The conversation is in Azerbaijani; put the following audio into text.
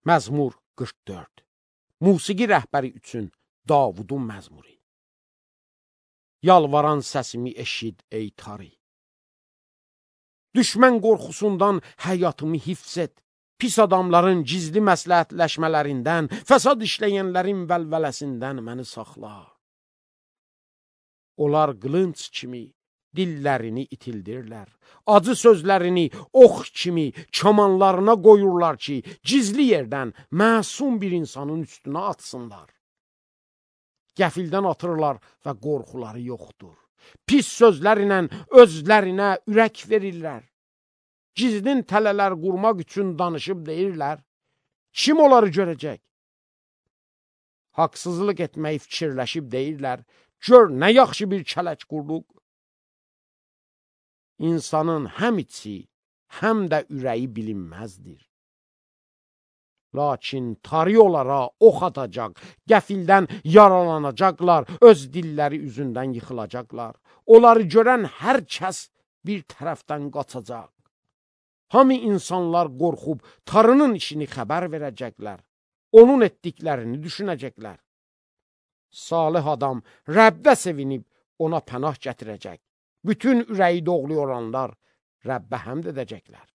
Məzmur 44. Musiqi rəhbəri üçün Davudun məzmuri. Yalvaran səsimi eşid ey Tari. Düşmən qorxusundan həyatımı hifz et. Pis adamların gizli məsləhətləşmələrindən, fəsad işləyənlərin vəlvələsindən məni saxla. Onlar qılınc kimi dillərini itildirlər. Acı sözlərini ox kimi kamanlarına qoyurlar ki, gizli yerdən məsum bir insanın üstünə atsınlar. Qəfildən atırlar və qorxuları yoxdur. Pis sözlərlə özlərinə ürək verirlər. Gizlin tələlər qurmaq üçün danışıb deyirlər, kim onları görəcək? Haqsızlıq etməyi fikirləşib deyirlər, gör nə yaxşı bir kələk qurduq. İnsanın həm içi, həm də ürəyi bilinməzdir. Lakin Tari onlara ox atacaq, qəfildən yaralanacaqlar, öz dilləri üzündən yıxılacaqlar. Onları görən hər kəs bir tərəfdən qaçacaq. Hamı insanlar qorxub Tarının işini xəbər verəcəklər. Onun etdiklərini düşünəcəklər. Salih adam Rəbbə sevinib ona pənah gətirəcək. Bütün ürəyi doğru olanlar Rəbbə həmd edəcəklər.